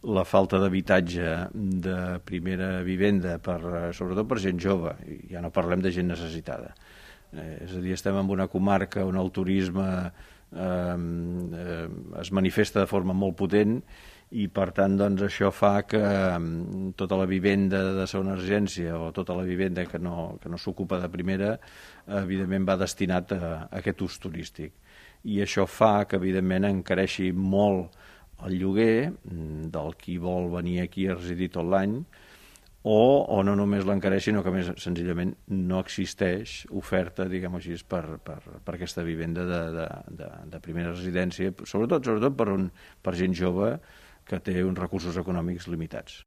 la falta d'habitatge de primera vivenda, sobretot per gent jove, ja no parlem de gent necessitada. És a dir, estem en una comarca on el turisme es manifesta de forma molt potent i per tant doncs, això fa que tota la vivenda de segona urgència o tota la vivenda que no s'ocupa de primera evidentment va destinat a aquest ús turístic i això fa que evidentment encareixi molt el lloguer del qui vol venir aquí a residir tot l'any o no només l'encareix, sinó que més senzillament no existeix oferta, diguem-ho així, per aquesta vivenda de primera residència, sobretot per gent jove que té uns recursos econòmics limitats.